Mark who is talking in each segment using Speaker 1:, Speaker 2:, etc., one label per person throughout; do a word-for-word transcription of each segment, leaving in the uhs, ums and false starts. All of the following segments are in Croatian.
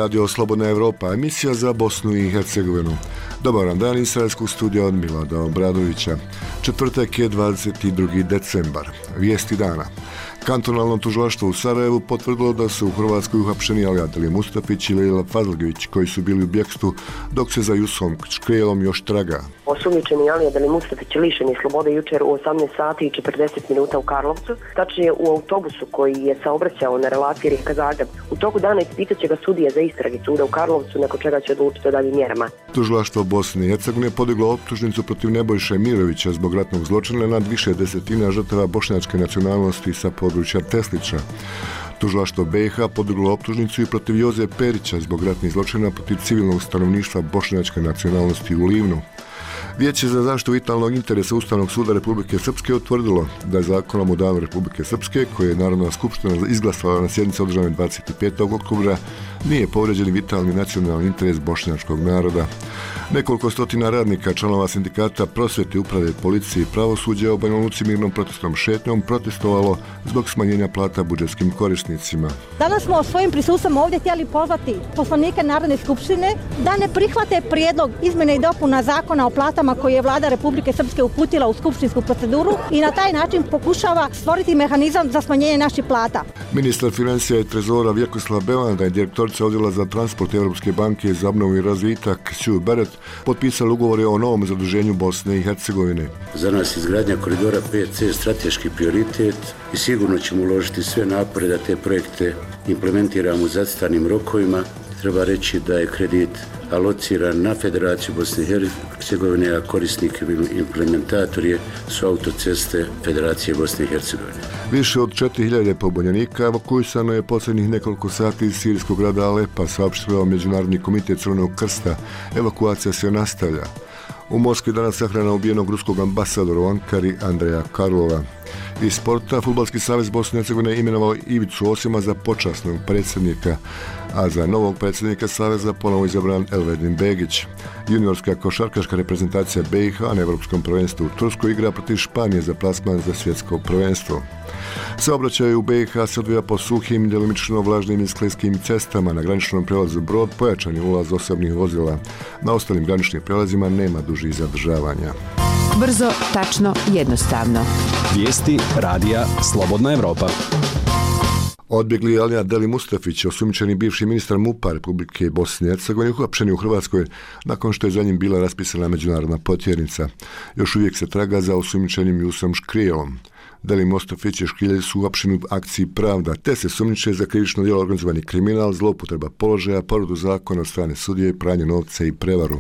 Speaker 1: Radio Slobodna Evropa, emisija za Bosnu i Hercegovinu. Dobar dan iz Sarajevskog studija od Milada Obradovića. Četvrtak je dvadeset drugi decembar. Vijesti dana. Kantonalno tužilaštvo u Sarajevu potvrdilo da su u Hrvatskoj uhapšeni Alija Deli Mustafić i Lejla Fazlgić, koji su bili u bjekstvu, dok se za Jusom Škrijelom još traga.
Speaker 2: Osumnjičeni Alija Deli Mustafić lišen je slobode jučer u osamnaest sati i četrdeset minuta u Karlovcu, tačnije u autobusu koji je saobraćao na relaciji Rijeka-Zagreb. U toku dana ispitat će ga sudija za istrage suda u Karlovcu, nakon čega će odlučiti o daljim mjerama.
Speaker 1: Tužilaštvo Bosne i Hercegovine podiglo optužnicu protiv Nebojše Mirovića zbog ratnog zločina nad više desetina žrtava bošnjačke nacionalnosti sa područja Teslića. Tužilaštvo B i H podiglo optužnicu i protiv Joze Perića zbog ratnih zločina protiv civilnog stanovništva bošnjačke nacionalnosti u Livnu. Vijeće za zaštitu vitalnog interesa Ustavnog suda Republike Srpske utvrdilo da je zakonom o danu Republike Srpske, koje je Narodna skupština izglasala na sjednici održanoj dvadeset petog oktobra, nije povrijeđen vitalni nacionalni interes bošnjačkog naroda. Nekoliko stotina radnika, članova sindikata prosvjete, uprave, policije i pravosuđa u Banja Luci mirnom protestnom šetnjom protestovalo zbog smanjenja plata budžetskim korisnicima.
Speaker 3: Danas smo svojim prisustvom ovdje htjeli pozvati poslanike Narodne skupštine da ne prihvate prijedlog izmjene i dopuna zakona o platama koji je Vlada Republike Srpske uputila u skupštinsku proceduru i na taj način pokušava stvoriti mehanizam za smanjenje naših plata.
Speaker 1: Ministar financija i trezora Vjekoslav Belanda i direktorica odjela za transport Europske banke za obnovu i razvitak Sue Barrett potpisali ugovore o novom zaduženju Bosne i Hercegovine.
Speaker 4: Za nas izgradnja koridora pet ce strateški prioritet i sigurno ćemo uložiti sve napore da te projekte implementiramo u zacrtanim rokovima. Treba reći da je kredit alociran na Federaciju Bosne i Hercegovine, a korisnik i implementator je su autoceste Federacije Bosne i Hercegovine.
Speaker 1: Više od četiri hiljade pobunjenika evakuisano je posljednjih nekoliko sati iz sirijskog grada Alepa, saopštio Međunarodni komitet Crvenog krsta. Evakuacija se nastavlja. U Moskvi danas sahrana ubijenog ruskog ambasadora u Ankari Andreja Karlova. Iz sporta, Fudbalski savez Bosne i Hercegovine imenovao Ivicu Osima za počasnog predsjednika, a za novog predsjednika saveza ponovo izabran Elvedin Begić. Juniorska košarkaška reprezentacija B i H na Evropskom prvenstvu u Turskoj igra protiv Španije za plasman za svjetsko prvenstvo. Saobraćaj u B i H se odvija po suhim, djelomično vlažnim i sklizkim cestama. Na graničnom prelazu Brod pojačan je ulaz osobnih vozila. Na ostalim graničnim prelazima nema dužih zadržavanja.
Speaker 5: Brzo, tačno, jednostavno.
Speaker 6: Vijesti radija Slobodna Evropa.
Speaker 1: Odbjegli Alija Deli Mustafić, osumnjičeni bivši ministar MUP-a Republike Bosne i Hercegovine, uhapšen je u Hrvatskoj nakon što je za njim bila raspisana međunarodna potjernica. Još uvijek se traga za osumnjičenim Jusom Škrijelom. Deli Mustafić i Škrilj su uhapšeni u akciji Pravda, te se sumnjiče za krivično djelo organizovani kriminal, zloupotreba položaja, povredu zakona od strane sudije, pranje novca i prevaru.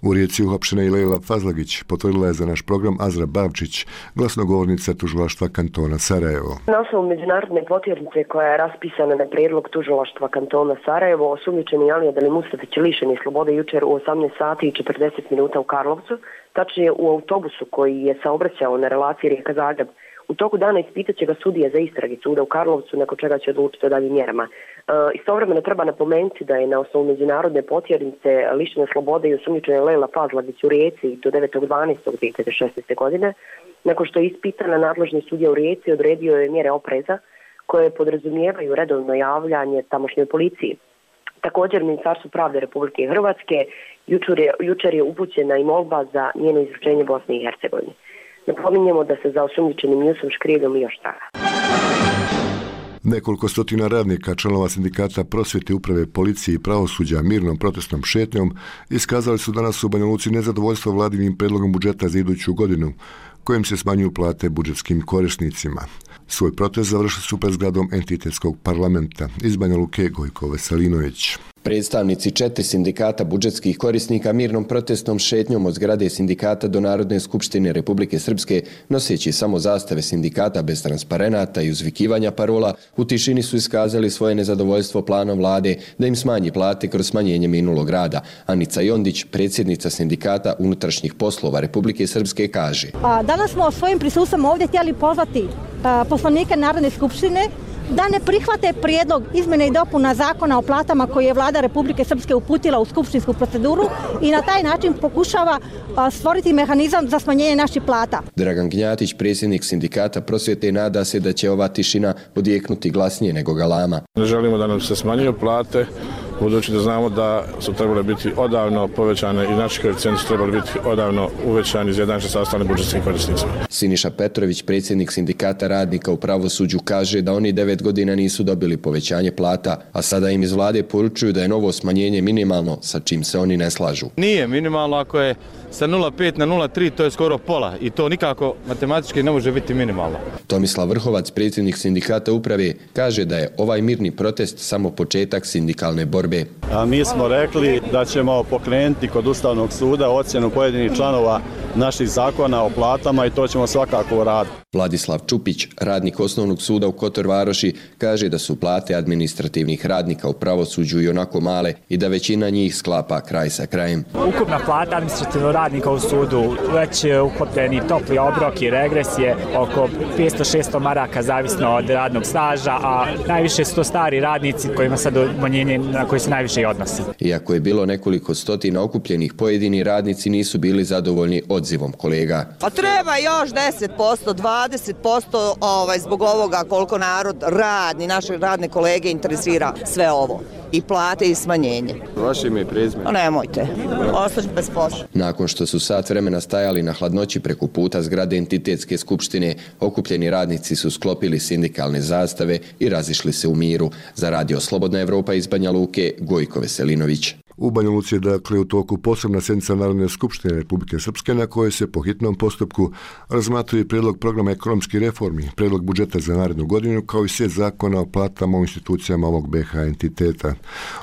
Speaker 1: U Rijeci uhapšena i Lejla Fazlgić, potvrdila je za naš program Azra Bavčić, glasnogovornica tužilaštva kantona Sarajevo.
Speaker 2: Na osnovu međunarodne potjernice koja je raspisana na prijedlog tužilaštva kantona Sarajevo, osumnjičeni Alija Deli Mustafić lišen je slobode jučer u osamnaest sati i četrdeset minuta u Karlovcu, tačnije u autobusu koji je saobraćao na relaciji Rijeka-Zagreb. U toku dana ispitat će ga sudija za istrage suda u Karlovcu, nakon čega će odlučiti o daljim mjerama. E, istovremeno treba napomenuti da je na osnovu međunarodne potjernice lišena slobode i osumnjičena Lejla Fazlgić u Rijeci do devetog dvanaestog dvije tisuće šesnaeste. godine. Nakon što je ispitana, nadležni sudija u Rijeci odredio je mjere opreza koje podrazumijevaju redovno javljanje tamošnjoj policiji. Također, Ministarstvo pravde Republike Hrvatske jučer je, jučer je upućena i molba za njeno izručenje Bosne i Hercegovine. Napominjemo da se za osumnjičenim Jusom Škrijeljom još traga.
Speaker 1: Nekoliko stotina radnika, članova sindikata prosvjete, uprave, policije i pravosuđa mirnom protestnom šetnjom iskazali su danas u Banja Luci nezadovoljstvo vladinim predlogom budžeta za iduću godinu, kojim se smanjuju plate budžetskim korisnicima. Svoj protest završili su pred zgradom entitetskog parlamenta. Iz Banja Luke, Gojko Veselinović.
Speaker 7: Predstavnici četiri sindikata budžetskih korisnika mirnom protestnom šetnjom od zgrade sindikata do Narodne skupštine Republike Srpske, noseći samo zastave sindikata bez transparenata i uzvikivanja parola, u tišini su iskazali svoje nezadovoljstvo planom vlade da im smanji plate kroz smanjenje minulog rada. Anica Jondić, predsjednica sindikata unutrašnjih poslova Republike Srpske, kaže:
Speaker 3: A, danas smo svojim prisustvom ovdje htjeli pozvati a, poslanike Narodne skupštine da ne prihvate prijedlog izmjene i dopuna zakona o platama koji je Vlada Republike Srpske uputila u skupštinsku proceduru i na taj način pokušava stvoriti mehanizam za smanjenje naših plata.
Speaker 7: Dragan Gnjatić, predsjednik sindikata prosvjete, nada se da će ova tišina odjeknuti glasnije nego galama.
Speaker 8: Ne želimo da nam se smanjuju plate budući da znamo da su trebali biti odavno povećane i naši koeficijenti su trebali biti odavno uvećani izjednačeni sa ostalim budžetskim korisnicima.
Speaker 7: Siniša Petrović, predsjednik sindikata radnika u pravosuđu, kaže da oni devet godina nisu dobili povećanje plata, a sada im iz vlade poručuju da je novo smanjenje minimalno, sa čim se oni ne slažu.
Speaker 9: Nije minimalno, ako je sa nula zarez pet na nula zarez tri, to je skoro pola i to nikako matematički ne može biti minimalno.
Speaker 7: Tomislav Vrhovac, predsjednik sindikata uprave, kaže da je ovaj mirni protest samo početak sindikalne borbe.
Speaker 10: A mi smo rekli da ćemo pokrenuti kod Ustavnog suda ocjenu pojedinih članova naših zakona o platama i to ćemo svakako uraditi.
Speaker 7: Vladislav Čupić, radnik Osnovnog suda u Kotor Varoši, kaže da su plate administrativnih radnika u pravosuđu i onako male i da većina njih sklapa kraj sa krajem.
Speaker 11: Ukupna plata administrativnog radnika u sudu, već uklopljeni topli obrok i regres je oko petsto do šesto maraka zavisno od radnog staža, a najviše su to stari radnici kojima sad umanjenje na koji se najviše i odnosi.
Speaker 7: Iako je bilo nekoliko stotina okupljenih, pojedini radnici nisu bili zadovoljni odzivom kolega.
Speaker 12: Pa treba još deset posto, dvadeset posto ovaj, zbog ovoga koliko narod radni, naše radne kolege interesira sve ovo. I plate i smanjenje.
Speaker 7: Vaše ime i prezime?
Speaker 12: Nemojte, ostać bez posla.
Speaker 7: Nakon što su sat vremena stajali na hladnoći preko puta zgrade Entitetske skupštine, okupljeni radnici su sklopili sindikalne zastave i razišli se u miru. Za Radio Slobodna Evropa iz Banja Luke, Gojko Veselinović.
Speaker 1: U Banja Luci je dakle u toku posebna sjednica Narodne skupštine Republike Srpske na kojoj se po hitnom postupku razmatruje prijedlog programa ekonomskih reformi, prijedlog budžeta za narednu godinu kao i set zakona o platama u institucijama ovog B H entiteta.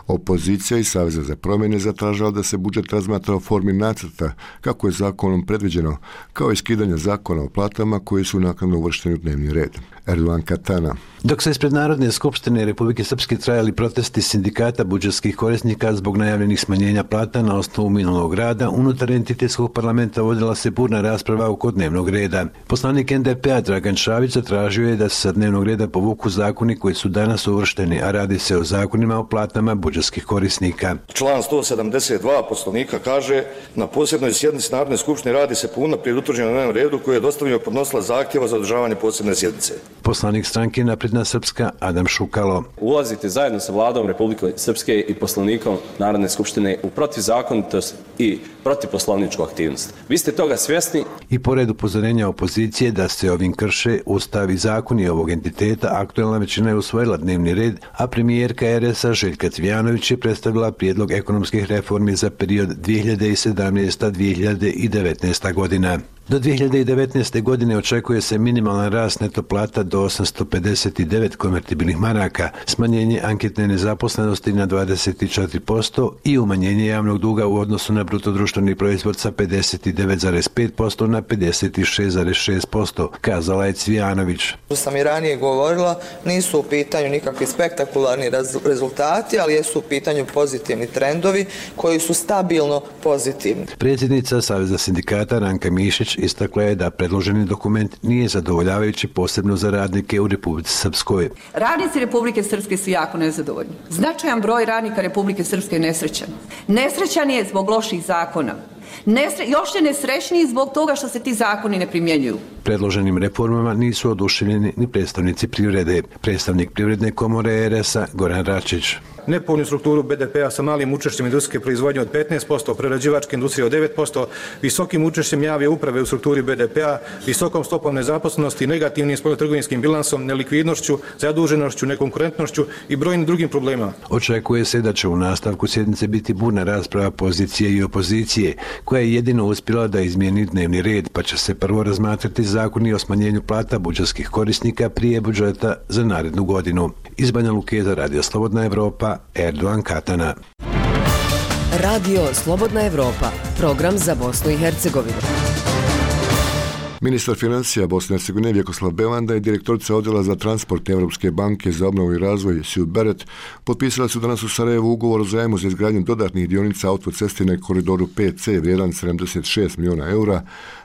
Speaker 1: Opozicija i Saveza za promjene zatražila da se budžet razmatra u formi nacrta kako je zakonom predviđeno, kao i skidanje zakona o platama koji su naknadno uvršteni u dnevni red. Erdogan Katana.
Speaker 13: Dok se ispred Narodne skupštine Republike Srpske trajali protesti sindikata budžetskih korisnika zbog najavljenih smanjenja plata na osnovu minulog rada, unutar entitetskog parlamenta vodila se burna rasprava oko dnevnog reda. Poslanik N D P-a Dragan Šavić zatražio je da se sa dnevnog reda povuku zakoni koji su danas uvršteni, a radi se o zakonima o platama budžetskih korisnika.
Speaker 14: Član sto sedamdeset dva Poslovnika kaže: na posebnoj sjednici Narodne skupštine radi se po unaprijed utvrđenom dnevnom redu koji je dostavio podnosilac zahtjeva za održavanje posebne sjednice.
Speaker 13: Poslanik stranke Napredna Srpska Adam Šukalo.
Speaker 15: Ulazite zajedno sa vladom Republike Srpske i poslanikom Narodne skupštine u protivzakonitost i protivposlovničku aktivnost. Vi ste toga svjesni.
Speaker 13: I pored upozorenja opozicije da se ovim krše Ustav i zakoni ovog entiteta, aktuelna većina je usvojila dnevni red, a premijerka R S A Željka Cvijanović je predstavila prijedlog ekonomskih reformi za period dvije hiljade sedamnaesta do dvije hiljade devetnaeste. godina. Do dvije hiljade devetnaeste. godine očekuje se minimalan rast neto plata do osamsto pedeset devet konvertibilnih maraka, smanjenje anketne nezaposlenosti na dvadeset četiri posto i umanjenje javnog duga u odnosu na bruto društveni proizvod sa pedeset devet zarez pet posto na pedeset šest zarez šest posto, kazala je Cvijanović.
Speaker 16: Što sam i ranije govorila, nisu u pitanju nikakvi spektakularni rezultati, ali jesu u pitanju pozitivni trendovi koji su stabilno pozitivni.
Speaker 13: Predsjednica Saveza sindikata Ranka Mišić istakla je da predloženi dokument nije zadovoljavajući posebno za radnike u Republici Srpskoj.
Speaker 17: Radnici Republike Srpske su jako nezadovoljni. Značajan broj radnika Republike Srpske je nesrećan. Nesrećan je zbog loših zakona. Nesre, još je nesrećniji zbog toga što se ti zakoni ne primjenjuju.
Speaker 13: Predloženim reformama nisu oduševljeni ni predstavnici privrede. Predstavnik Privredne komore R S A Goran Račić.
Speaker 18: Nepovoljnu strukturu B D P-a sa malim učešćem industrijske proizvodnje od petnaest posto, prerađivačke industrije od devet posto, visokim učešćem javne uprave u strukturi B D P-a, visokom stopom nezaposlenosti, negativnim spoljnotrgovinskim bilansom, nelikvidnošću, zaduženošću, nekonkurentnošću i brojnim drugim problemima.
Speaker 13: Očekuje se da će u nastavku sjednice biti burna rasprava pozicije i opozicije, koja je jedino uspjela da izmijeni dnevni red, pa će se prvo razmatrati zakoni o smanjenju plata budžetskih korisnika prije budžeta za narednu godinu. Iz Banja Luke za Radio Slobodna Evropa, Erdogan Katana.
Speaker 19: Radio Slobodna Evropa, program za Bosnu i Hercegovinu.
Speaker 1: Ministar financija Bosne i Hercegovine Vjekoslav Belanda i direktorica odjela za transport Evropske banke za obnovu i razvoj Sue Barrett potpisali su danas u Sarajevu ugovor o zajmu za izgradnju dodatnih dionica autoceste na koridoru P C vrijedan sedamdeset šest milijuna eura,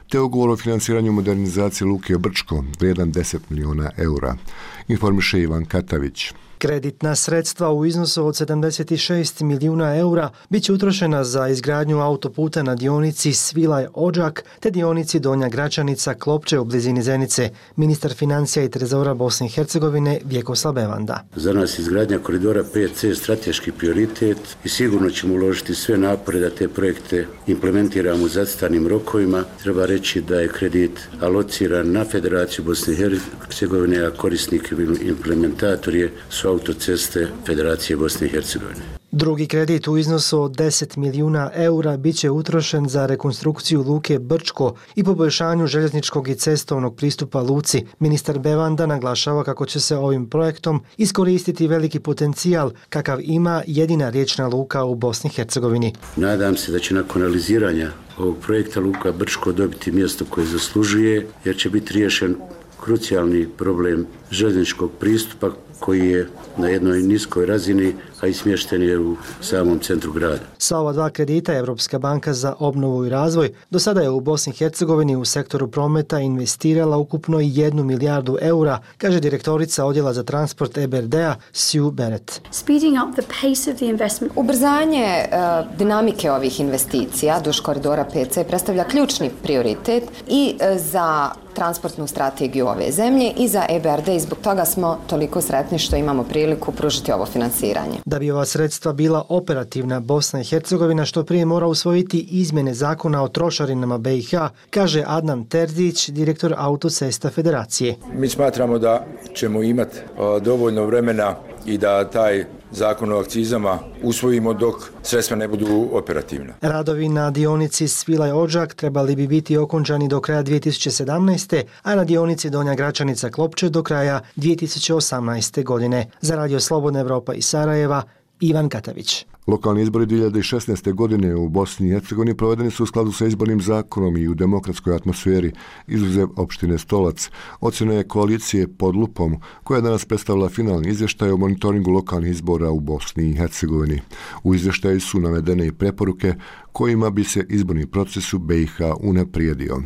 Speaker 1: te ugovor o financiranju modernizacije luke Brčko vrijedan deset milijuna eura. Informiše Ivan Katavić.
Speaker 20: Kreditna sredstva u iznosu od sedamdeset šest milijuna eura bit će utrošena za izgradnju autoputa na dionici Svilaj-Odžak te dionici Donja Gračanica-Klopče u blizini Zenice. Ministar financija i trezora Bosne i Hercegovine Vjekoslav Bevanda.
Speaker 4: Za nas izgradnja koridora pet ce strateški prioritet i sigurno ćemo uložiti sve napore da te projekte implementiramo u zacrtanim rokovima. Treba reći da je kredit alociran na Federaciju Bosne i Hercegovine, a korisnik i implementator je su autoceste Federacije Bosne i Hercegovine.
Speaker 20: Drugi kredit u iznosu od deset milijuna eura bit će utrošen za rekonstrukciju luke Brčko i poboljšanju željezničkog i cestovnog pristupa luci. Ministar Bevanda naglašava kako će se ovim projektom iskoristiti veliki potencijal kakav ima jedina riječna luka u Bosni i Hercegovini.
Speaker 4: Nadam se da će nakon realiziranja ovog projekta luka Brčko dobiti mjesto koje zaslužuje, jer će biti riješen krucijalni problem željezničkog pristupa koji je na jednoj niskoj razini, a i smješten je u samom centru grada.
Speaker 20: Sa ova dva kredita Evropska banka za obnovu i razvoj do sada je u Bosni i Hercegovini u sektoru prometa investirala ukupno jednu milijardu eura, kaže direktorica odjela za transport E B R D-a Sue Beret.
Speaker 21: Ubrzanje uh, dinamike ovih investicija duž koridora pet ce predstavlja ključni prioritet i uh, za transportnu strategiju ove zemlje i za E B R D i zbog toga smo toliko sretni što imamo priliku pružiti ovo finansiranje.
Speaker 20: Da bi ova sredstva bila operativna, Bosna i Hercegovina što prije mora usvojiti izmjene zakona o trošarinama be i ha, kaže Adnan Terzić, direktor Autocesta Federacije.
Speaker 22: Mi smatramo da ćemo imati dovoljno vremena i da taj zakon o akcizama usvojimo dok sredstva ne budu operativna.
Speaker 20: Radovi na dionici Svilaj-Odžak trebali bi biti okončani do kraja dvije tisuće sedamnaeste. a na dionici Donja Gračanica-Klopče do kraja dvije tisuće osamnaeste. godine. Za Radio Slobodna Evropa iz Sarajeva, Ivan Katavić.
Speaker 1: Lokalni izbori dvije tisuće šesnaeste. godine u Bosni i Hercegovini provedeni su u skladu sa izbornim zakonom i u demokratskoj atmosferi, izuzev opštine Stolac. Ocjena je koalicije Pod lupom, koja je danas predstavila finalni izvještaj o monitoringu lokalnih izbora u Bosni i Hercegovini. U izvještaju su navedene i preporuke kojima bi se izborni proces u be i ha unaprijedio.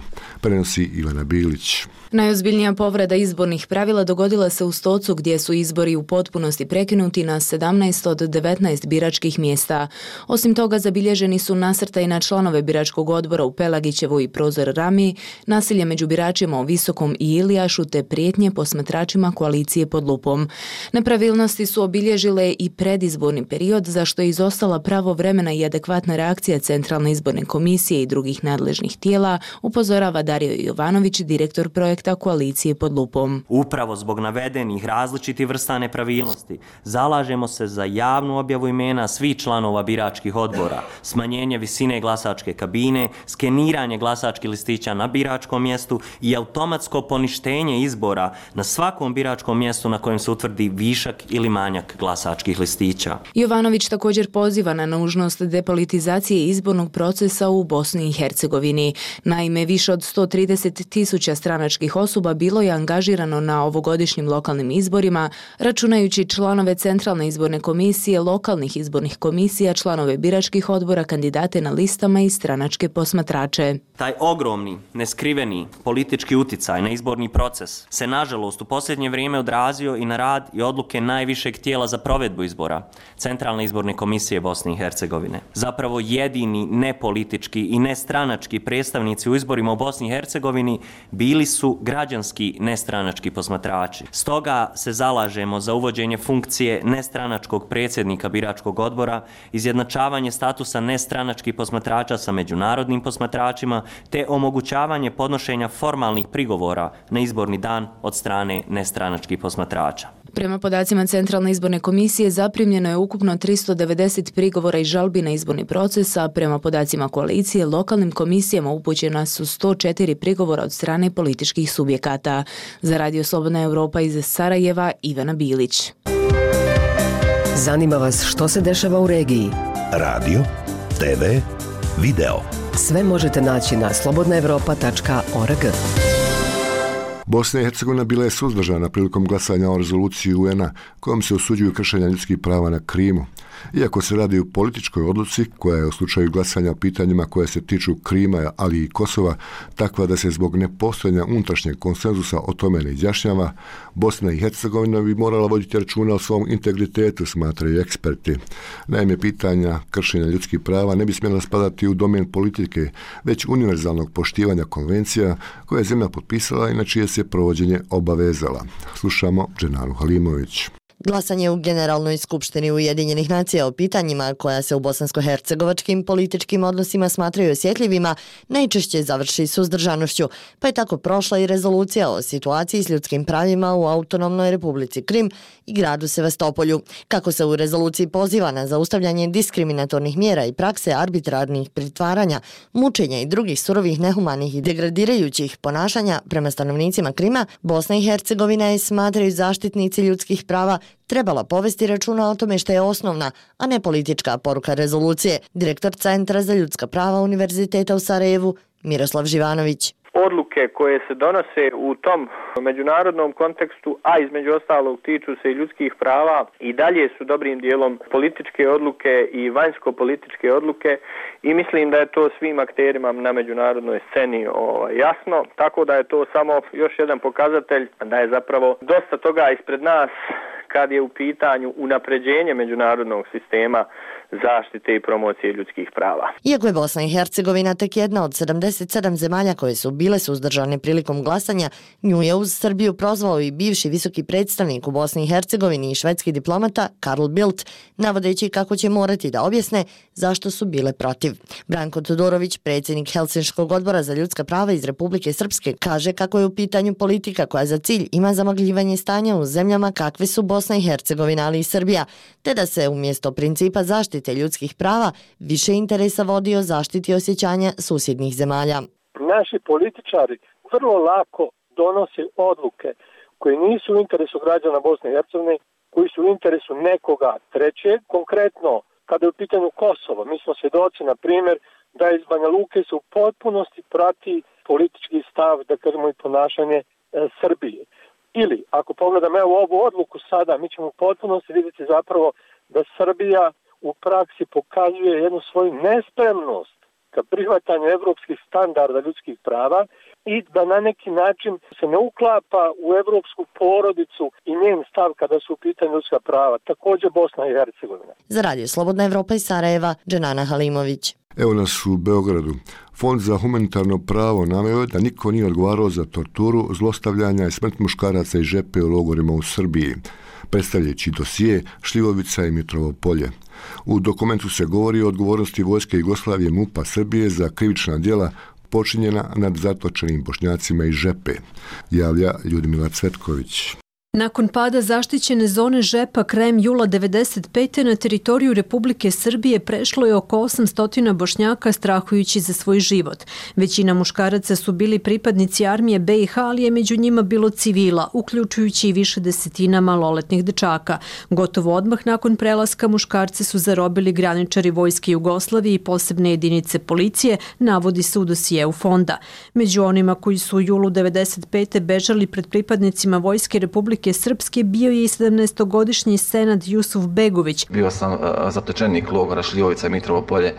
Speaker 1: Prenosi Ivana Bilić.
Speaker 23: Najozbiljnija povreda izbornih pravila dogodila se u Stocu gdje su izbori u potpunosti prekinuti na sedamnaest od devetnaest biračkih mjesta. Osim toga zabilježeni su nasrtaji na članove biračkog odbora u Pelagićevu i Prozor Rami, nasilje među biračima u Visokom i Ilijašu te prijetnje posmatračima koalicije Pod lupom. Nepravilnosti su obilježile i predizborni period za što je izostala pravovremena i adekvatna reakcija Centralne izborne komisije i drugih nadležnih tijela, upozorava Dario Jovanović, direktor projekta koalicije Pod lupom.
Speaker 24: Upravo zbog navedenih različitih vrsta nepravilnosti zalažemo se za javnu objavu imena svih članova biračkih odbora, smanjenje visine glasačke kabine, skeniranje glasačkih listića na biračkom mjestu i automatsko poništenje izbora na svakom biračkom mjestu na kojem se utvrdi višak ili manjak glasačkih listića.
Speaker 23: Jovanović također poziva na nužnost depolitizacije izbornog procesa u Bosni i Hercegovini. Naime, više od sto trideset tisuća stranačkih osoba bilo je angažirano na ovogodišnjim lokalnim izborima, računajući članove Centralne izborne komisije, lokalnih izbornih komisija, članove biračkih odbora, kandidate na listama i stranačke posmatrače.
Speaker 24: Taj ogromni, neskriveni politički uticaj na izborni proces se nažalost u posljednje vrijeme odrazio i na rad i odluke najvišeg tijela za provedbu izbora, Centralne izborne komisije Bosne i Hercegovine. Zapravo jedini nepolitički i nestranački predstavnici u izborima u Bosni i Hercegovini bili su građanski nestranački posmatrači. Stoga se zalažemo za uvođenje funkcije nestranačkog predsjednika biračkog odbora, izjednačavanje statusa nestranačkih posmatrača sa međunarodnim posmatračima, te omogućavanje podnošenja formalnih prigovora na izborni dan od strane nestranačkih posmatrača.
Speaker 23: Prema podacima Centralne izborne komisije zaprimljeno je ukupno tristo devedeset prigovora i žalbi na izborni proces, a prema podacima koalicije lokalnim komisijama upućena su sto četiri prigovora od strane političkih subjekata. Za Radio Slobodna Evropa iz Sarajeva, Ivana Bilić.
Speaker 19: Zanima vas što se dešava u regiji?
Speaker 25: Radio, te ve, video.
Speaker 19: Sve možete naći na slobodna evropa tačka org.
Speaker 1: Bosna i Hercegovina bila je suzdržana prilikom glasanja o rezoluciji u en a kojom se osuđuju kršenja ljudskih prava na Krimu. Iako se radi o političkoj odluci koja je u slučaju glasanja o pitanjima koje se tiču Krima, ali i Kosova, takva da se zbog nepostojanja unutrašnjeg konsenzusa o tome ne izjašnjava, Bosna i Hercegovina bi morala voditi računa o svom integritetu, smatraju eksperti. Naime, pitanja kršenja ljudskih prava ne bi smjela spadati u domen politike, već univerzalnog poštivanja konvencija koje je zemlja potpisala i na čije se provođenje obavezala. Slušamo Dženanu Halimović.
Speaker 2: Glasanje u Generalnoj skupštini Ujedinjenih nacija o pitanjima koja se u bosansko-hercegovačkim političkim odnosima smatraju osjetljivima najčešće završi suzdržanošću, pa je tako prošla i rezolucija o situaciji s ljudskim pravima u autonomnoj Republici Krim i gradu Sevastopolju. Kako se u rezoluciji poziva na zaustavljanje diskriminatornih mjera i prakse arbitrarnih pritvaranja, mučenja i drugih surovih, nehumanih i degradirajućih ponašanja prema stanovnicima Krima, Bosna i Hercegovina je, smatraju zaštitnici ljudskih prava, trebala povesti računa o tome što je osnovna, a ne politička poruka rezolucije. Direktor Centra za ljudska prava Univerziteta u Sarajevu, Miroslav Živanović.
Speaker 3: Odluke koje se donose u tom međunarodnom kontekstu, a između ostalog tiču se i ljudskih prava, i dalje su dobrim dijelom političke odluke i vanjsko-političke odluke i mislim da je to svim akterima na međunarodnoj sceni ovaj, jasno, tako da je to samo još jedan pokazatelj da je zapravo dosta toga ispred nas kad je u pitanju unapređenje međunarodnog sistema zaštite i promocije ljudskih prava.
Speaker 2: Iako je Bosna i Hercegovina tek jedna od sedamdeset sedam zemalja koje su bile suzdržane prilikom glasanja, nju je uz Srbiju prozvao i bivši visoki predstavnik u Bosni i Hercegovini i švedski diplomata Karl Bildt, navodeći kako će morati da objasne zašto su bile protiv. Branko Todorović, predsjednik Helsinškog odbora za ljudska prava iz Republike Srpske, kaže kako je u pitanju politika koja za cilj ima zamagljivanje stanja u zemljama kakve su Bosna i Hercegovina, ali i Srbija, te da se umjesto principa zaštite ljudskih prava više interesa vodi o zaštiti osjećanja susjednih zemalja.
Speaker 5: Naši političari vrlo lako donose odluke koje nisu u interesu građana Bosne i Hercegovine, koji su u interesu nekoga trećeg. Konkretno, kada je u pitanju Kosovo, mi smo svjedoci, na primjer, da iz Banja Luke se u potpunosti prati politički stav, da kažemo i ponašanje e, Srbije. Ili, ako pogledam evo ovu odluku sada, mi ćemo u potpunosti vidjeti zapravo da Srbija u praksi pokazuje jednu svoju nespremnost ka prihvatanju evropskih standarda ljudskih prava i da na neki način se ne uklapa u evropsku porodicu i njen stav kada su u pitanju ljudska prava. Također Bosna i Hercegovina.
Speaker 2: Za Radio Slobodna Evropa iz Sarajeva, Dženana Halimović.
Speaker 1: Evo nas u Beogradu. Fond za humanitarno pravo naveo je da niko nije odgovarao za torturu, zlostavljanja i smrt muškaraca i žepe u logorima u Srbiji, predstavljajući dosije Šljivovica i Mitrovo polje. U dokumentu se govori o odgovornosti vojske Jugoslavije MUP-a Srbije za krivična djela počinjena nad zatočenim Bošnjacima i žepe, javlja Ljudmila Cvetković.
Speaker 6: Nakon pada zaštićene zone Žepa krajem jula devedeset pete na teritoriju Republike Srbije prešlo je oko osamsto Bošnjaka strahujući za svoj život. Većina muškaraca su bili pripadnici armije be i ha, ali je među njima bilo civila, uključujući i više desetina maloletnih dečaka. Gotovo odmah nakon prelaska muškarce su zarobili graničari vojske Jugoslavije i posebne jedinice policije, navodi se u dosijeu fonda. Među onima koji su u julu devedeset pete bežali pred pripadnicima vojske Republike Srpske bio je i sedamnaestogodišnji Senad Jusuf Begović.
Speaker 8: Bio sam uh, zatočenik logora Šljivovica i Mitrovo polje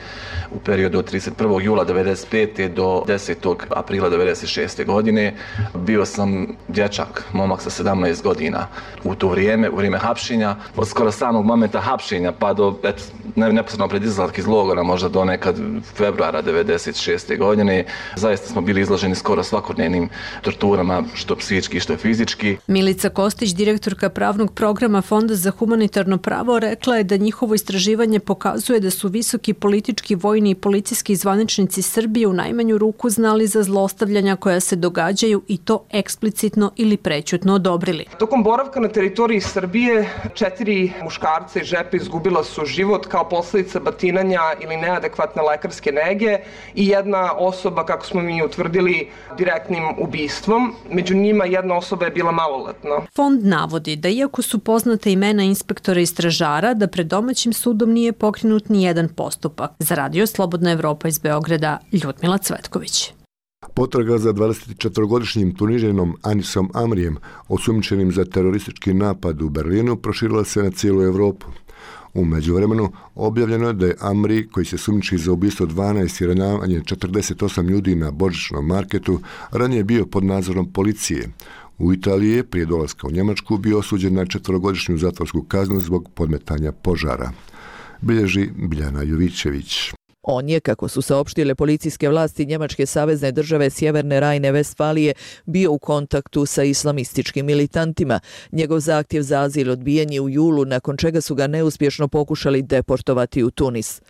Speaker 8: u periodu od trideset prvog jula devedeset pete do desetog aprila devedeset šeste godine. Bio sam dječak, momak sa sedamnaest godina u to vrijeme, u vrijeme hapšenja. Od skoro samog momenta hapšenja pa do et, ne, neposredno pred izlazak iz logora, možda do nekad februara devedeset šeste godine. Zaista smo bili izloženi skoro svakodnevnim torturama, što psihički, što fizički.
Speaker 6: Milica Kostić, direktorka pravnog programa Fonda za humanitarno pravo, rekla je da njihovo istraživanje pokazuje da su visoki politički, vojni i policijski zvaničnici Srbije u najmanju ruku znali za zlostavljanja koja se događaju i to eksplicitno ili prećutno odobrili.
Speaker 26: Tokom boravka na teritoriji Srbije četiri muškarca i žepe izgubila su život kao posljedica batinanja ili neadekvatne lekarske nege i jedna osoba, kako smo mi utvrdili, direktnim ubistvom. Među njima jedna osoba je bila maloletna.
Speaker 6: Fond navodi da iako su poznate imena inspektora i stražara, da pred domaćim sudom nije pokrenut ni jedan postupak. Za Radio Slobodna Evropa iz Beograda, Ljudmila Cvetković.
Speaker 1: Potraga za dvadesetčetvorogodišnjim Tunižanom Anisom Amrijem, osumnjičenim za teroristički napad u Berlinu, proširila se na cijelu Evropu. U međuvremenu objavljeno je da je Amri, koji se sumnjiči za ubistvo dvanaest i ranjavanje četrdeset osam ljudi na božićnom marketu, ranije bio pod nadzorom policije. U Italiji je prije dolaska u Njemačku bio osuđen na četverogodišnju zatvorsku kaznu zbog podmetanja požara. Bilježi Biljana Jovićević.
Speaker 7: On je, kako su saopštile policijske vlasti Njemačke savezne države Sjeverne Rajne-Vestfalije, bio u kontaktu sa islamističkim militantima. Njegov zahtjev za azil odbijen je u julu, nakon čega su ga neuspješno pokušali deportovati u Tunis.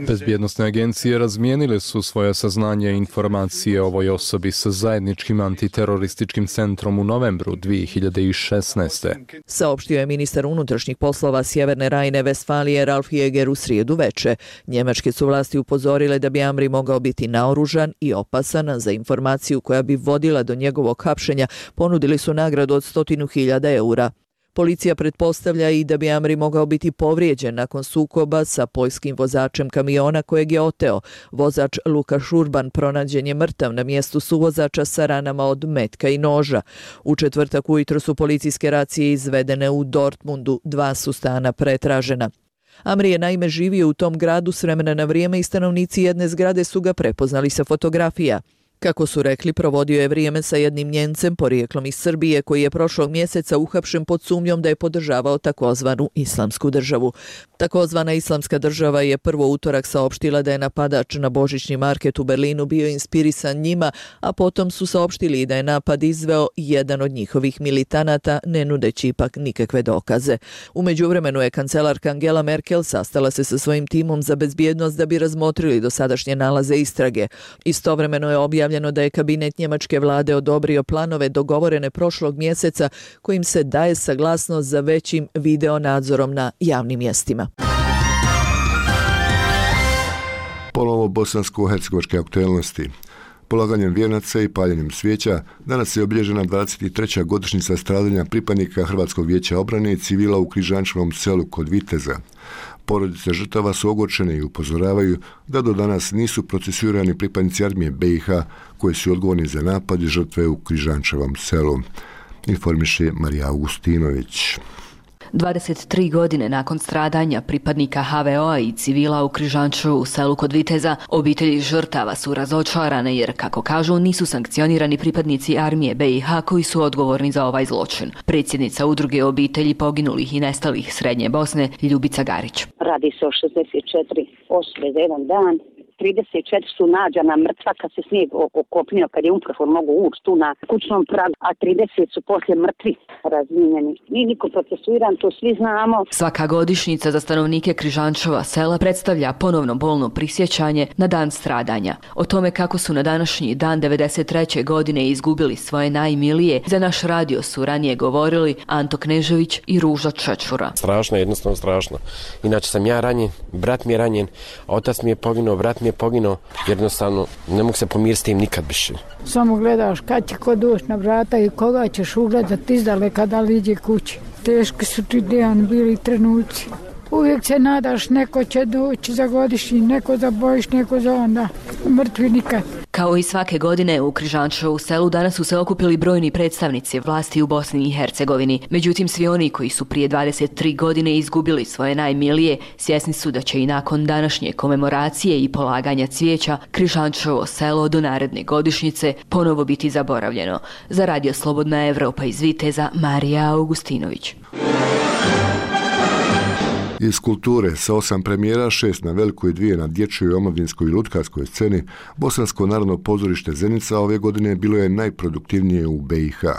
Speaker 9: Bezbjednosne agencije razmijenile su svoje saznanje i informacije o ovoj osobi sa zajedničkim antiterorističkim centrom u novembru dvije hiljade šesnaeste.
Speaker 7: Saopštio je ministar unutrašnjih poslova Sjeverne Rajne-Vestfalije Ralf Jäger u srijedu veče. Njemačke su vlasti upozorile da bi Amri mogao biti naoružan i opasan. Za informaciju koja bi vodila do njegovog hapšenja ponudili su nagradu od stotinu hiljada eura. Policija pretpostavlja i da bi Amri mogao biti povrijeđen nakon sukoba sa poljskim vozačem kamiona kojeg je oteo. Vozač Luka Šurban pronađen je mrtav na mjestu suvozača sa ranama od metka i noža. U četvrtak ujutro su policijske racije izvedene u Dortmundu, dva su stana pretražena. Amri je naime živio u tom gradu s vremena na vrijeme i stanovnici jedne zgrade su ga prepoznali sa fotografija. Kako su rekli, provodio je vrijeme sa jednim Njencem porijeklom iz Srbije koji je prošlog mjeseca uhapšen pod sumnjom da je podržavao takozvanu islamsku državu. Takozvana islamska država je prvo utorak saopštila da je napadač na božićni market u Berlinu bio inspirisan njima, a potom su saopštili da je napad izveo jedan od njihovih militanata, ne nudeći ipak nikakve dokaze. U međuvremenu je kancelarka Angela Merkel sastala se sa svojim timom za bezbjednost da bi razmotrili dosadašnje nalaze istrage. Istovremeno je objavljeno da je kabinet njemačke vlade odobrio planove dogovorene prošlog mjeseca kojim se daje saglasnost za većim video nadzorom na javnim mjestima.
Speaker 1: Ponovo bosansko-hercegovačke aktuelnosti. Polaganjem vijenaca i paljenjem svijeća danas je obilježena dvadeset treća godišnjica stradanja pripadnika Hrvatskog vijeća obrane i civila u Križančevom selu kod Viteza. Porodice žrtava su ogorčene i upozoravaju da do danas nisu procesuirani pripadnici armije B i H koji su odgovorni za napad i žrtve u Križančevom selu. Informiše Marija Augustinović.
Speaker 10: dvadeset tri godine nakon stradanja pripadnika H V O-a i civila u Križančevu u selu kod Viteza, obitelji žrtava su razočarane jer, kako kažu, nisu sankcionirani pripadnici armije B i H koji su odgovorni za ovaj zločin. Predsjednica udruge obitelji poginulih i nestalih Srednje Bosne, Ljubica Garić.
Speaker 11: Radi se o šezdeset četiri osobe za jedan dan. trideset četiri su nađena mrtva kad se snijeg okopnio, kad je umprofon mogu ući tu na kućnom pragu, a trideset su poslije mrtvi razmijenjeni. Nije niko procesuiran, to svi znamo.
Speaker 10: Svaka godišnjica za stanovnike Križančeva sela predstavlja ponovno bolno prisjećanje na dan stradanja. O tome kako su na današnji dan devedeset treće godine izgubili svoje najmilije, za naš radio su ranije govorili Anto Knežević i Ruža Čečura.
Speaker 12: Strašno, jednostavno strašno. Inače sam ja ranjen, brat mi je ranjen, otac mi je poginuo, brat mi je poginuo, jednostavno ne mogu se pomiriti s tim nikad više.
Speaker 14: Samo gledaš kad će ko doći na vrata i koga ćeš ugledati izdaleka da li iđe kući. Teški su ti dan bili trenuci. Uvijek se nadaš, neko će doći za godišnji, neko za bojiš, neko za onda. Mrtvi nikad.
Speaker 10: Kao i svake godine u Križančevu selu danas su se okupili brojni predstavnici vlasti u Bosni i Hercegovini. Međutim, svi oni koji su prije dvadeset tri godine izgubili svoje najmilije, svjesni su da će i nakon današnje komemoracije i polaganja cvijeća Križančevo selo do naredne godišnjice ponovo biti zaboravljeno. Za Radio Slobodna Evropa iz Viteza, Marija Augustinović.
Speaker 1: Iz kulture, sa osam premijera, šest na velikoj i dvije na dječjoj, omladinskoj i lutkarskoj sceni, Bosansko narodno pozorište Zenica ove godine bilo je najproduktivnije u B i H.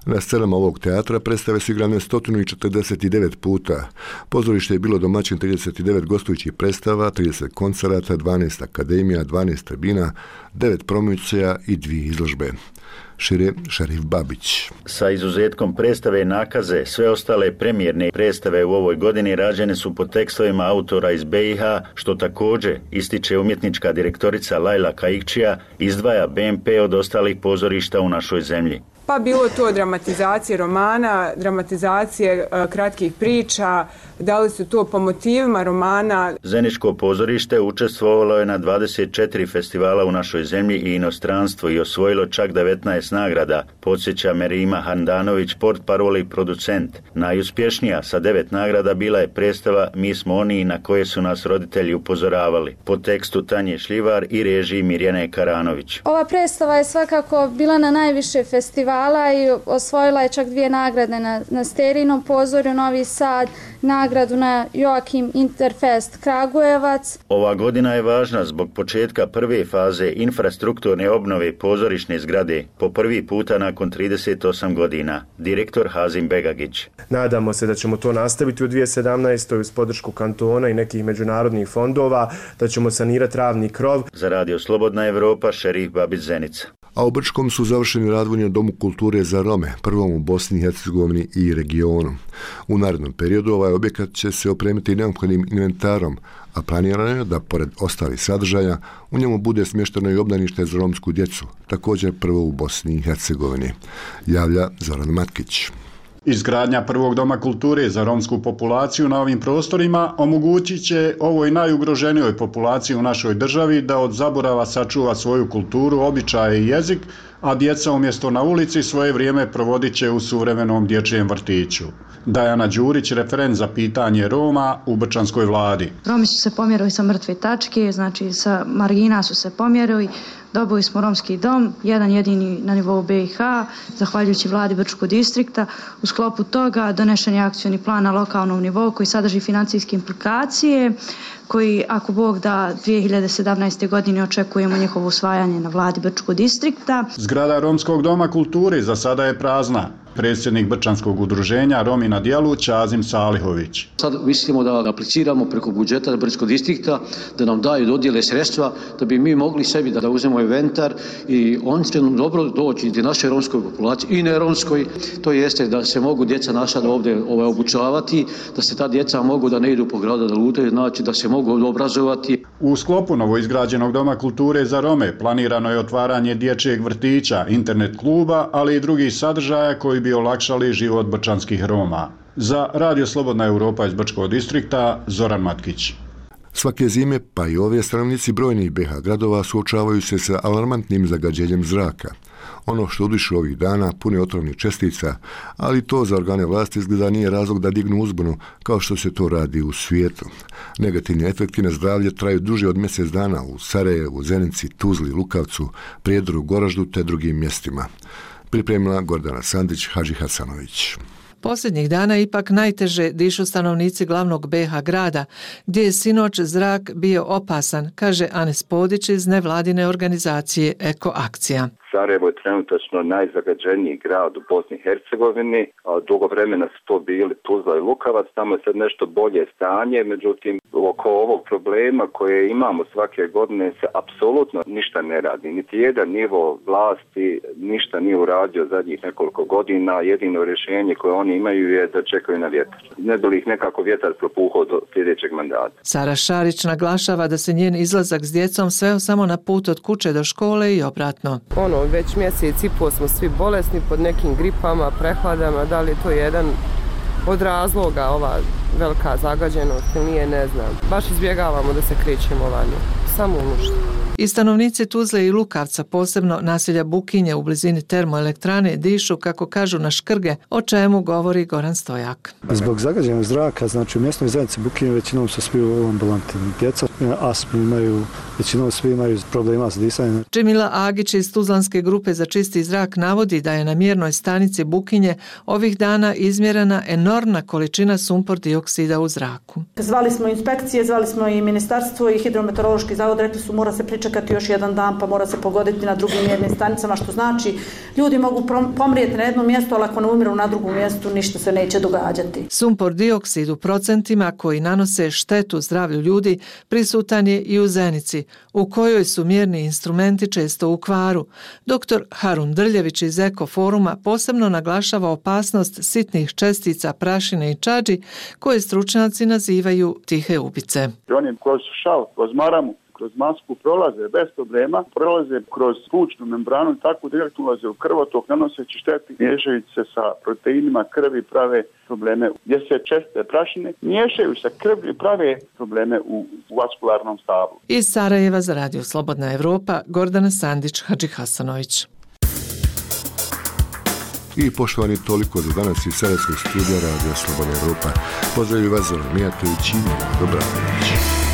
Speaker 1: Na scenama ovog teatra predstave su igrane sto četrdeset devet puta. Pozorište je bilo domaćin trideset devet gostujućih predstava, trideset koncerata, dvanaest akademija, dvanaest tribina, devet promocija i dvije izložbe. Šire Šarif Babić.
Speaker 27: Sa izuzetkom predstave Nakaze, sve ostale premijerne predstave u ovoj godini rađene su po tekstovima autora iz B i H, što također ističe umjetnička direktorica Lajla Kaikčija, izdvaja B M P od ostalih pozorišta u našoj zemlji.
Speaker 28: Pa bilo to dramatizacije romana, dramatizacije uh, kratkih priča,
Speaker 4: Da li su to po motivima romana?
Speaker 27: Zeničko pozorište učestvovalo je na dvadeset četiri festivala u našoj zemlji i inostranstvu i osvojilo čak devetnaest nagrada, podsjeća Merima Handanović, portparol i producent. Najuspješnija sa devet nagrada bila je predstava Mi smo oni na koje su nas roditelji upozoravali, po tekstu Tanje Šljivar i režiji Mirjane Karanović.
Speaker 13: Ova predstava je svakako bila na najviše festivala i osvojila je čak dvije nagrade na, na Sterinom pozorju Novi Sad, nagradu na Joakim Interfest Kragujevac.
Speaker 27: Ova godina je važna zbog početka prve faze infrastrukturne obnove pozorišne zgrade po prvi puta nakon trideset osam godina. Direktor Hazim Begagić.
Speaker 15: Nadamo se da ćemo to nastaviti u dvije tisuće sedamnaestoj uz podršku kantona i nekih međunarodnih fondova, da ćemo sanirati ravni krov.
Speaker 27: Za Radio Slobodna Evropa, Šerif Babić Zenica.
Speaker 1: A u Brčkom su završeni radovi na Domu kulture za Rome, prvom u Bosni i Hercegovini i regionu. U narednom periodu ovaj objekat će se opremiti neophodnim inventarom, a planirano je da, pored ostalih sadržaja, u njemu bude smješteno i obdanište za romsku djecu, također prvo u Bosni i Hercegovini, javlja Zoran Matkić.
Speaker 16: Izgradnja prvog doma kulture za romsku populaciju na ovim prostorima omogućit će ovoj najugroženijoj populaciji u našoj državi da od zaborava sačuva svoju kulturu, običaje i jezik, a djeca umjesto na ulici svoje vrijeme provodit će u suvremenom dječjem vrtiću. Dajana Đurić, referent za pitanje Roma u Brčanskoj vladi.
Speaker 17: Romi su se pomjerili sa mrtve tačke, znači sa margina su se pomjerili. Dobili smo romski dom, jedan jedini na nivou B i H, zahvaljujući vladi Brčkog distrikta. U sklopu toga donešen je akcioni plan na lokalnom nivou koji sadrži financijske implikacije, koji, ako Bog da, dvije hiljade sedamnaeste. godine očekujemo njihovo usvajanje na vladi Brčkog distrikta.
Speaker 16: Zgrada Romskog doma kulture za sada je prazna. Predsjednik Brčanskog udruženja Romi na dijelu Ćazim Salihović.
Speaker 18: Sad mislimo da apliciramo preko budžeta Brčkog distrikta, da nam daju dodijele sredstva, da bi mi mogli sebi da uzmemo inventar i on će nam dobro doći i našoj romskoj populaciji i ne romskoj. To jeste da se mogu djeca naša da ovdje ovaj, obučavati, da se ta djeca mogu da ne idu po gradu da lutaju, znači da se mogu obrazovati.
Speaker 16: U sklopu novoizgrađenog Doma kulture za Rome planirano je otvaranje dječjeg vrtića, internet kluba, ali i drugih sadržaja koji bi olakšali život brčanskih Roma. Za Radio Slobodna Evropa iz Brčkog distrikta, Zoran Matkić.
Speaker 1: Svake zime, pa i ove stanovnici brojnih B H gradova suočavaju se sa alarmantnim zagađenjem zraka. Ono što udišu ovih dana pune otrovnih čestica, ali to za organe vlasti izgleda nije razlog da dignu uzbunu kao što se to radi u svijetu. Negativni efekti na zdravlje traju duže od mjesec dana u Sarajevu, Zenici, Tuzli, Lukavcu, Prijedoru, Goraždu te drugim mjestima. Pripremila Gordana Sandić, Hadži Hasanović.
Speaker 21: Posljednjih dana ipak najteže dišu stanovnici glavnog B H grada, gdje je sinoć zrak bio opasan, kaže Anes Podić iz nevladine organizacije Eko Akcija.
Speaker 28: Sarajevo je trenutačno najzagađeniji grad u Bosni i Hercegovini, a dugo vremena su to bili Tuzla i Lukavac, tamo je sad nešto bolje stanje, međutim oko ovog problema koje imamo svake godine se apsolutno ništa ne radi. Niti jedan nivo vlasti ništa nije uradio zadnjih nekoliko godina, jedino rješenje koje oni imaju je da čekaju na vjetar. Ne bi li ih nekako vjetar propuhao do sljedećeg mandata.
Speaker 21: Sara Šarić naglašava da se njen izlazak s djecom sveo samo na put od kuće do škole i obratno.
Speaker 4: Ono, već mjesec i pol smo svi bolesni pod nekim gripama, prehladama, da li je to jedan od razloga ova velika zagađenost ili nije, ne znam. Baš izbjegavamo da se krećemo vani, samo u nuždu.
Speaker 21: I stanovnici Tuzle i Lukavca, posebno naselja Bukinje u blizini termoelektrane, dišu, kako kažu, na škrge, o čemu govori Goran Stojak.
Speaker 29: Zbog zagađenog zraka, znači u mjesnoj zajednici Bukinje većinom su svi u ambulanti. Djeca astmu imaju, većinom svi imaju problema s disanjem.
Speaker 21: Džemila Agić iz Tuzlanske grupe za čisti zrak navodi da je na mjernoj stanici Bukinje ovih dana izmjerena enormna količina sumpor dioksida u zraku.
Speaker 30: Zvali smo inspekcije, zvali smo i ministarstvo i hidrometeorološki zavod, rekli su mora se pričekati još jedan dan pa mora se pogoditi na drugim mjernim stanicama, što znači ljudi mogu pomrijeti na jednom mjestu, ali ako ne umiru na drugom mjestu ništa se neće događati.
Speaker 21: Sumpor dioksid u procentima koji nanose štetu zdravlju ljudi prisutan je i u Zenici, u kojoj su mjerni instrumenti često u kvaru. Doktor Harun Drljević iz Eko foruma posebno naglašava opasnost sitnih čestica prašine i čađi koje stručnjaci nazivaju tihe ubice.
Speaker 31: Oni kroz šal, kroz maramu,
Speaker 2: kroz masku prolaze bez problema, prolaze kroz plućnu membranu i tako direktno ulaze u krvotok, nanoseći šteti, miješajući se sa proteinima krvi, prave probleme gdje se česte prašine, miješaju se krvlju i prave probleme u vaskularnom stavu.
Speaker 21: Iz Sarajeva za Radio Slobodna Evropa, Gordana Sandić, Hadži Hasanović.
Speaker 1: I poštovani, toliko za danas iz Sarajevskog studija Radio Slobodna Evropa. Pozdravljaju vas Zoran Mijatović i Dobra noć.